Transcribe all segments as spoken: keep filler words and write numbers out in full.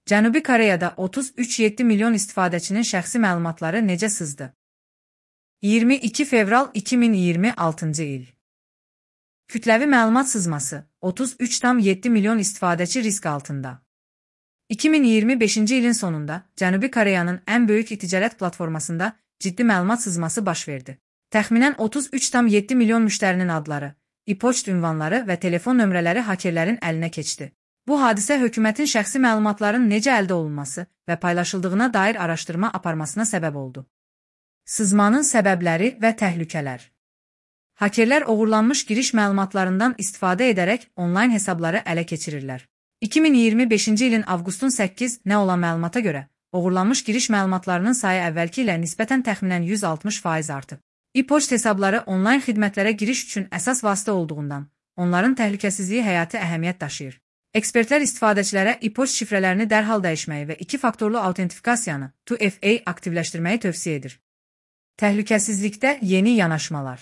Cənubi Koreyada otuz üç nöqtə yeddi milyon istifadəçinin şəxsi məlumatları necə sızdı? iyirmi iki fevral iki min iyirmi altıncı il. Kütləvi məlumat sızması, otuz üç nöqtə yeddi milyon istifadəçi risk altında. iki min iyirmi beşinci ilin sonunda Cənubi Koreyanın ən böyük e-ticarət platformasında ciddi məlumat sızması baş verdi. Təxminən otuz üç nöqtə yeddi milyon müştərinin adları, e-poçt ünvanları və telefon nömrələri hakerlərin əlinə keçdi. Bu hadisə hökumətin şəxsi məlumatların necə əldə olunması və paylaşıldığına dair araşdırma aparmasına səbəb oldu. Sızmanın səbəbləri və təhlükələr. Hakerlər oğurlanmış giriş məlumatlarından istifadə edərək onlayn hesabları ələ keçirirlər. iki min iyirmi beşinci ilin avqustun səkkizinə olan məlumata görə, oğurlanmış giriş məlumatlarının sayı əvvəlki ilə nisbətən təxminən yüz altmış faiz artıb. E-poçt hesabları onlayn xidmətlərə giriş üçün əsas vasitə olduğundan, onların təhlükəsizliyi həyati əhəmiyyət daşıyır. Ekspertlər istifadəçilərə e-poçt şifrələrini dərhal dəyişməyi və iki faktorlu autentifikasiyanı iki F A aktivləşdirməyi tövsiyə edir. Təhlükəsizlikdə yeni yanaşmalar.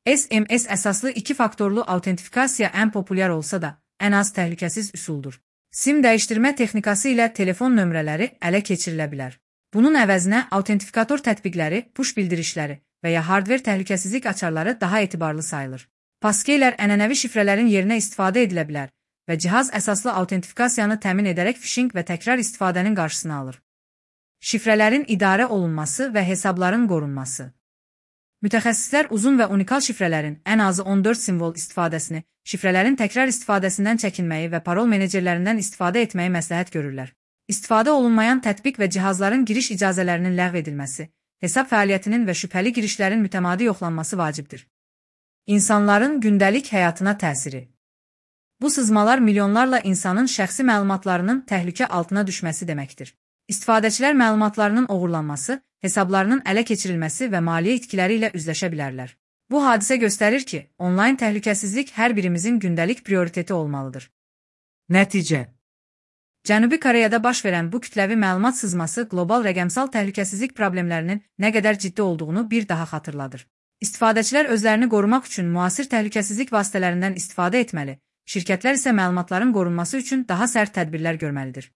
S M S əsaslı iki faktorlu autentifikasiya ən populyar olsa da, ən az təhlükəsiz üsuldur. SIM dəyişdirmə texnikası ilə telefon nömrələri ələ keçirilə bilər. Bunun əvəzinə autentifikator tətbiqləri, push bildirişləri və ya hardver təhlükəsizlik açarları daha etibarlı sayılır. Paskeylər ənənəvi şifrələrin yerinə istifadə edilə bilər və cihaz əsaslı autentifikasiyanı təmin edərək phishing və təkrar istifadənin qarşısını alır. Şifrələrin idarə olunması və hesabların qorunması. Mütəxəssislər uzun və unikal şifrələrin ən azı on dörd simvol istifadəsini, şifrələrin təkrar istifadəsindən çəkinməyi və parol menecerlərindən istifadə etməyi məsləhət görürlər. İstifadə olunmayan tətbiq və cihazların giriş icazələrinin ləğv edilməsi, hesab fəaliyyətinin və şübhəli girişlərin mütəmadi yoxlanması vacibdir. İnsanların gündəlik həyatına təsiri. Bu sızmalar milyonlarla insanın şəxsi məlumatlarının təhlükə altına düşməsi deməkdir. İstifadəçilər məlumatlarının oğurlanması, hesablarının ələ keçirilməsi və maliyyə itkiləri ilə üzləşə bilərlər. Bu hadisə göstərir ki, onlayn təhlükəsizlik hər birimizin gündəlik prioriteti olmalıdır. Nəticə. Cənubi Koreyada baş verən bu kütləvi məlumat sızması qlobal rəqəmsal təhlükəsizlik problemlərinin nə qədər ciddi olduğunu bir daha xatırladır. İstifadəçilər özlərini qorumaq üçün müasir təhlükəsizlik vasitələrindən istifadə etməli, şirkətlər isə məlumatların qorunması üçün daha sərt tədbirlər görməlidir.